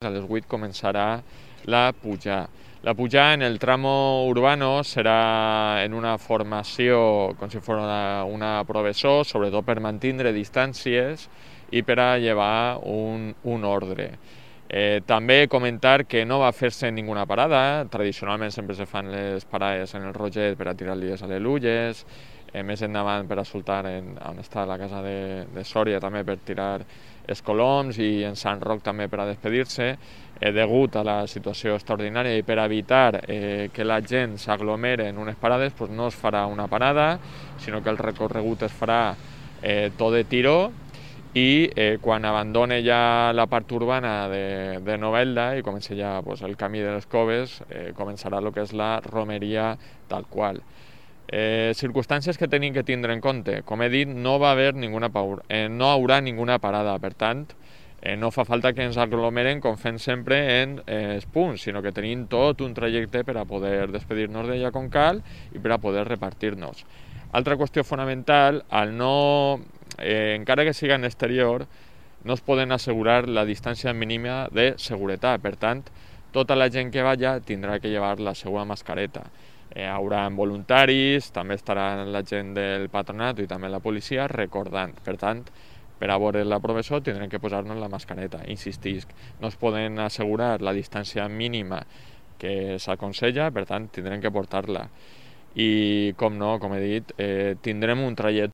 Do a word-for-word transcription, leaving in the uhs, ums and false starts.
A les vuit començarà la pujada. La pujada en el tramo urbano serà en una formació com si fos una, una professó, sobretot per mantindre distàncies i per a llevar un, un ordre. Eh, també comentar que no va fer-se ninguna parada. Tradicionalment sempre se fan les parades en el Roget per a tirar-li les alelulles, eh, més endavant per a soltar en, on està la casa de, de Sòria també per tirar els coloms, i en Sant Roc també per a despedir-se. Eh, degut a la situació extraordinària i per evitar eh, que la gent s'aglomere en unes parades, doncs no es farà una parada, sinó que el recorregut es farà eh, tot de tiro, i eh, quan abandone ja la part urbana de, de Novelda i comenci ja pues, el camí de les Coves, eh, començarà el que és la romeria tal qual. Eh, circumstàncies que tenim que tindre en compte. Com he dit, no va haver ninguna paura, eh, no haurà ninguna parada, per tant, eh, no fa falta que ens aglomeren com fem sempre en eh, els punts, sinó que tenim tot un trajecte per a poder despedir-nos d'ella com cal i per a poder repartir-nos. Altra qüestió fonamental, al no, eh, encara que siga en exterior, no es poden assegurar la distància mínima de seguretat. Per tant, tota la gent que vaya tindrà que llevar la seva mascareta. Eh, haurà voluntaris, també estarà la gent del patronat i també la policia recordant. Per tant, per a veure la professó tindrem que posar-nos la mascareta. Insistisc, no es poden assegurar la distància mínima que s'aconsella, per tant, tindrem que portar-la. I, com no, com he dit, eh, tindrem un trajecte